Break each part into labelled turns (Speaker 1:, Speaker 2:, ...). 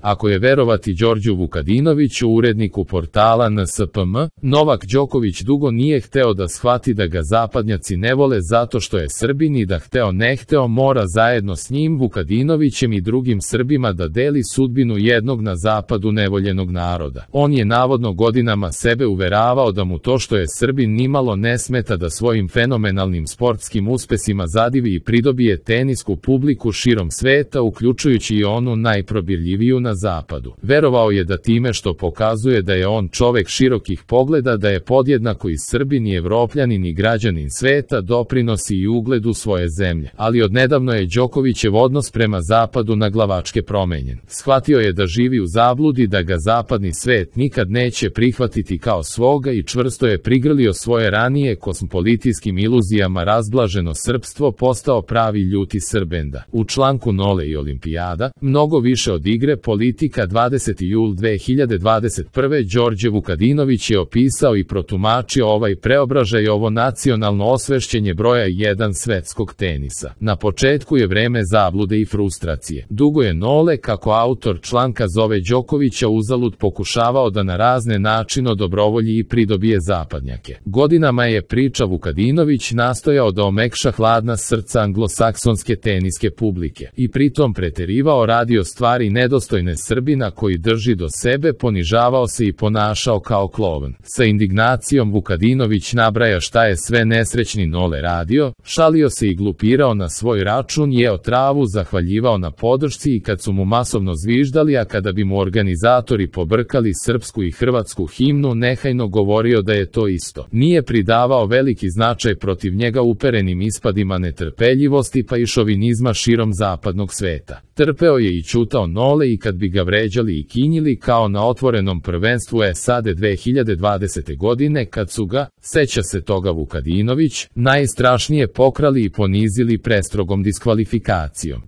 Speaker 1: Ako je verovati Đorđu Vukadinoviću, uredniku portala NSPM, Novak Đoković dugo nije hteo da shvati da ga zapadnjaci ne vole zato što je Srbin i da hteo ne hteo mora zajedno s njim, Vukadinovićem i drugim Srbima da deli sudbinu jednog na zapadu nevoljenog naroda. On je navodno godinama sebe uveravao da mu to što je Srbin nimalo ne smeta da svojim fenomenalnim sportskim uspesima zadivi i pridobije tenisku publiku širom sveta, uključujući i onu najprobirljiviju na zapadu. Verovao je da time što pokazuje da je on čovek širokih pogleda, da je podjednako i Srbin i Evropljanin i građanin sveta, doprinosi i ugledu svoje zemlje. Ali odnedavno je Đokovićev odnos prema zapadu naglavačke promenjen. Shvatio je da živi u zabludi, da ga zapadni svet nikad neće prihvatiti kao svoga i čvrsto je prigrlio svoje ranije kosmopolitijskim iluzijama razblaženo srpstvo, postao pravi ljuti Srbenda. U članku Nole i Olimpijada, mnogo više od igre, politika, 20. jul 2021. Đorđe Vukadinović je opisao i protumačio ovaj preobražaj, ovo nacionalno osvešćenje broja 1 svetskog tenisa. Na početku je vreme zablude i frustracije. Dugo je Nole, kako autor članka zove Đokovića, uzalud pokušavao da na razne načine dobrovolji i pridobije zapadnjake. Godinama je, priča Vukadinović, nastojao da omekša hladna srca anglosaksonske teniske publike i pritom preterivao, radio stvari nedostojne Srbina koji drži do sebe, ponižavao se i ponašao kao klovan. Sa indignacijom Vukadinović nabraja šta je sve nesrećni Nole radio, šalio se i glupirao na svoj račun, jeo travu, zahvaljivao na podršci i kad su mu masovno zviždali, a kada bi mu organizatori pobrkali srpsku i hrvatsku himnu, nehajno govorio da je to isto. Nije pridavao veliki značaj protiv njega uperenim ispadima netrpeljivosti pa i šovinizma širom zapadnog sveta. Trpeo je i ćutao Nole i kad bi ga vređali i kinjili, kao na otvorenom prvenstvu SAD 2020. godine kad su ga, seća se toga Vukadinović, najstrašnije pokrali i ponizili prestrogom diskvalifikacijom.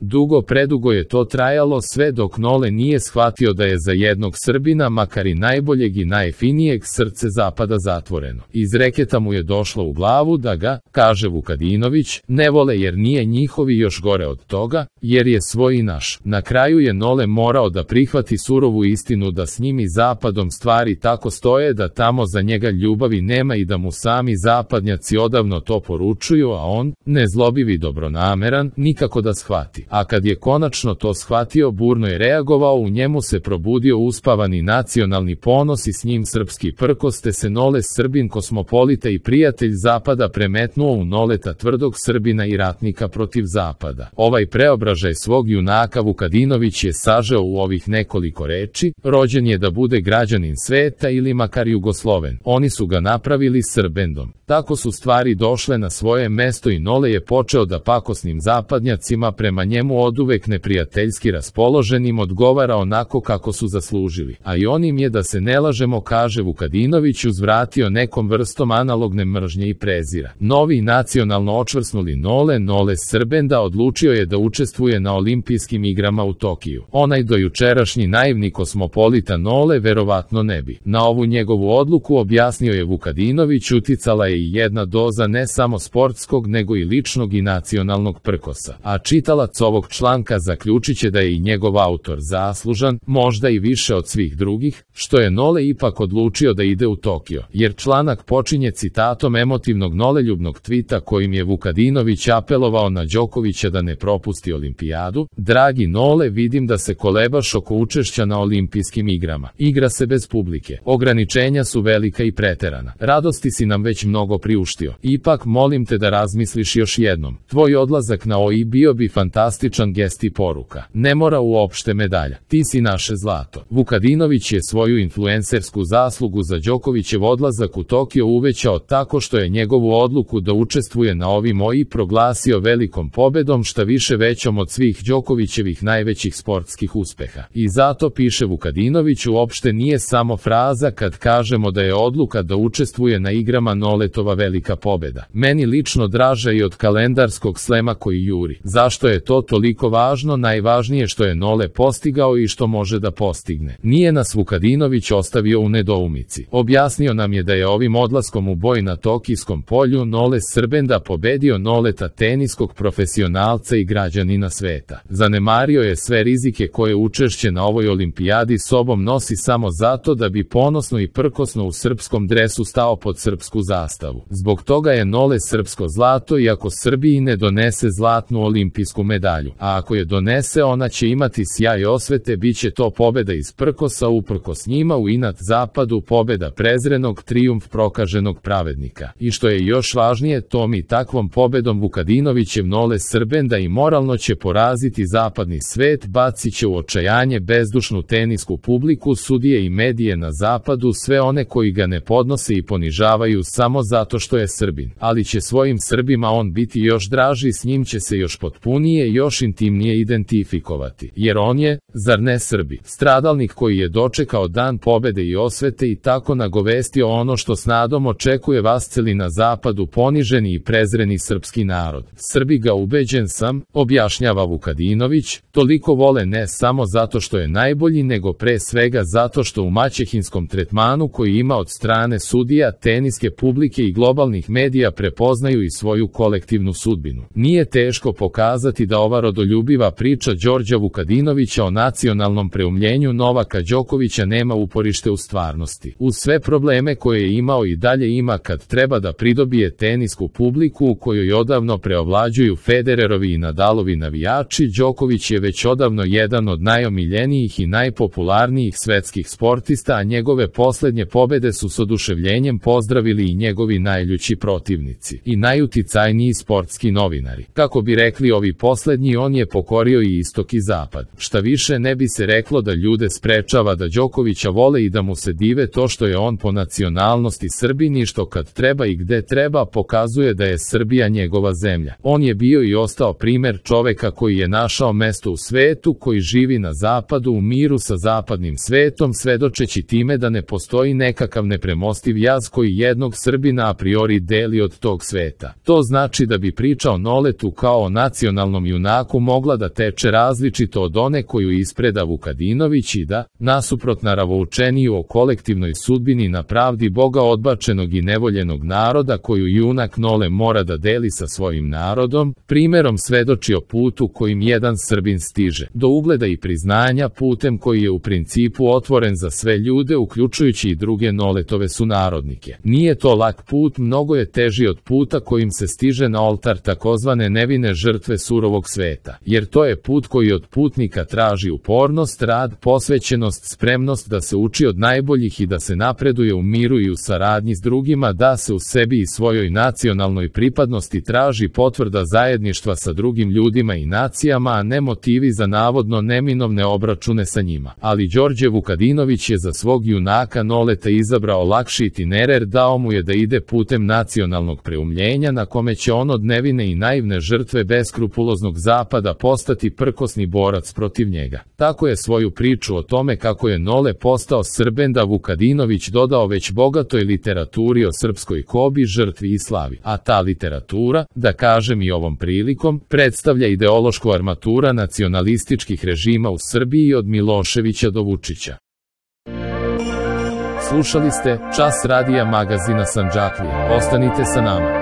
Speaker 1: Predugo je to trajalo sve dok Nole nije shvatio da je za jednog Srbina, makar i najboljeg i najfinijeg, srce zapada zatvoreno. Iz reketa mu je došlo u glavu da ga, kaže Vukadinović, ne vole jer nije njihovi, još gore od toga, jer je svoj i naš. Na kraju je Nole morao da prihvati surovu istinu da s njim i zapadom stvari tako stoje da tamo za njega ljubavi nema i da mu sami zapadnjaci odavno to poručuju, a on, nezlobivi dobronameran, nikako da shvati. A kad je konačno to shvatio, burno je reagovao, u njemu se probudio uspavani nacionalni ponos i s njim srpski prkos, te se Nole, Srbin, kosmopolita i prijatelj zapada, premetnuo u Noleta, tvrdog Srbina i ratnika protiv zapada. Ovaj preobražaj svog junaka Vukadinović je sažeo u ovih nekoliko reči: rođen je da bude građanin sveta ili makar Jugosloven. Oni su ga napravili Srbendom. Tako su stvari došle na svoje mesto i Nole je počeo da pakosnim zapadnjacima, prema njemu oduvek neprijateljski raspoloženim, odgovara onako kako su zaslužili. A i on im je, da se ne lažemo, kaže Vukadinović, uzvratio nekom vrstom analogne mržnje i prezira. Novi nacionalno očvrsnuli Nole Srbenda odlučio je da učestvuje na olimpijskim igrama u Tokiju. Onaj dojučerašnji naivni kosmopolita Nole verovatno ne bi. Na ovu njegovu odluku, objasnio je Vukadinović, uticala je i jedna doza ne samo sportskog nego i ličnog i nacionalnog prkosa. A čitalac ovog članka zaključiće da je i njegov autor zaslužan, možda i više od svih drugih, što je Nole ipak odlučio da ide u Tokio, jer članak počinje citatom emotivnog noleljubnog tvita kojim je Vukadinović apelovao na Đokovića da ne propusti olimpijadu: dragi Nole, vidim da se kolebaš oko učešća na olimpijskim igrama. Igra se bez publike. Ograničenja su velika i preterana. Radosti si nam već mnogo priuštio. Ipak molim te da razmisliš još jednom. Tvoj odlazak na OI bio bi fantastičan gest i poruka. Ne mora uopšte medalja. Ti si naše zlato. Vukadinović je svoju influencersku zaslugu za Đokovićev odlazak u Tokio uvećao tako što je njegovu odluku da učestvuje na ovim OI proglasio velikom pobedom, šta više većom od svih Đokovićevih najvećih sportskih uspeha. I zato, piše Vukadinović, uopšte nije samo fraza kad kažemo da je odluka da učestvuje na igrama Noletova velika pobeda. Meni lično draža i od kalendarskog slema koji juri. Zašto je to toliko važno? Najvažnije što je Nole postigao i što može da postigne. Nije nas Vukadinović ostavio u nedoumici. Objasnio nam je da je ovim odlaskom u boj na Tokijskom polju Nole Srbenda pobedio Noleta, teniskog profesionalca i građanina sveta. Zanemario je sve rizike koje učestvuje učešće na ovoj olimpijadi sobom nosi samo zato da bi ponosno i prkosno u srpskom dresu stao pod srpsku zastavu. Zbog toga je Nole srpsko zlato i ako Srbiji ne donese zlatnu olimpijsku medalju, a ako je donese ona će imati sjaj osvete, bit će to pobeda iz prkosa uprkos njima u inat zapadu, pobeda prezrenog, trijumf prokaženog pravednika. I što je još važnije, tom i takvom pobedom Vukadinovićev Nole Srbenda i moralno će poraziti zapadni svet, bacit će u očajanje bezdušnu tenisku publiku, sudije i medije na zapadu, sve one koji ga ne podnose i ponižavaju samo zato što je Srbin. Ali će svojim Srbima on biti još draži, s njim će se još potpunije, još intimnije identifikovati. Jer on je, zar ne Srbi, stradalnik koji je dočekao dan pobede i osvete i tako nagovestio ono što s nadom očekuje vasceli na zapadu, poniženi i prezreni srpski narod. Srbi ga, ubeđen sam, objašnjava Vukadinović, toliko vole ne samo zato što je najbolji, nego pre svega zato što u maćehinskom tretmanu koji ima od strane sudija, teniske publike i globalnih medija prepoznaju i svoju kolektivnu sudbinu. Nije teško pokazati da ova rodoljubiva priča Đorđa Vukadinovića o nacionalnom preumljenju Novaka Đokovića nema uporište u stvarnosti. Uz sve probleme koje je imao i dalje ima kad treba da pridobije tenisku publiku u kojoj odavno preovlađuju Federerovi i Nadalovi navijači, Đoković je već odavno jedan od najomiljenijih i najpopularnijih svetskih sportista, a njegove poslednje pobede su s oduševljenjem pozdravili i njegovi najljući protivnici i najuticajniji sportski novinari. Kako bi rekli ovi poslednji, on je pokorio i istok i zapad. Šta više, ne bi se reklo da ljude sprečava da Đokovića vole i da mu se dive to što je on po nacionalnosti Srbin i što kad treba i gde treba pokazuje da je Srbija njegova zemlja. On je bio i ostao primer čoveka koji je našao mesto u svetu, koji živi na zapadu u miru sa zapadnim svetom, svedočeći time da ne postoji nekakav nepremostiv jaz koji jednog Srbina a priori deli od tog sveta. To znači da bi priča o Noletu kao o nacionalnom junaku mogla da teče različito od one koju ispreda Vukadinović i da, nasuprot naravoučeniju o kolektivnoj sudbini na pravdi Boga odbačenog i nevoljenog naroda koju junak Nole mora da deli sa svojim narodom, primerom svedoči o putu kojim jedan Srbin stiže do ugleda i priznanja, putem koji je u principu otvoren za sve ljude, uključujući i druge Noletove sunarodnike. Nije to lak put, mnogo je teži od puta kojim se stiže na oltar takozvane nevine žrtve surovog sveta, jer to je put koji od putnika traži upornost, rad, posvećenost, spremnost da se uči od najboljih i da se napreduje u miru i u saradnji s drugima, da se u sebi i svojoj nacionalnoj pripadnosti traži potvrda zajedništva sa drugim ljudima i nacijama, a ne motivi za navodno neminovne obračune sa njima. Ali Đorđe Vukadinović je za svog junaka Noleta izabrao lakši itinerar, dao mu je da ide putem nacionalnog preumljenja na kome će on od nevine i naivne žrtve beskrupuloznog zapada postati prkosni borac protiv njega. Tako je svoju priču o tome kako je Nole postao Srbenda Vukadinović dodao već bogatoj literaturi o srpskoj kobi, žrtvi i slavi. A ta literatura, da kažem i ovom prilikom, predstavlja ideološku armatura nacionalističkih režima u Srbiji od Miloševića do Vučića. Slušali ste Čas radija magazina Sandžaklije. Ostanite sa nama.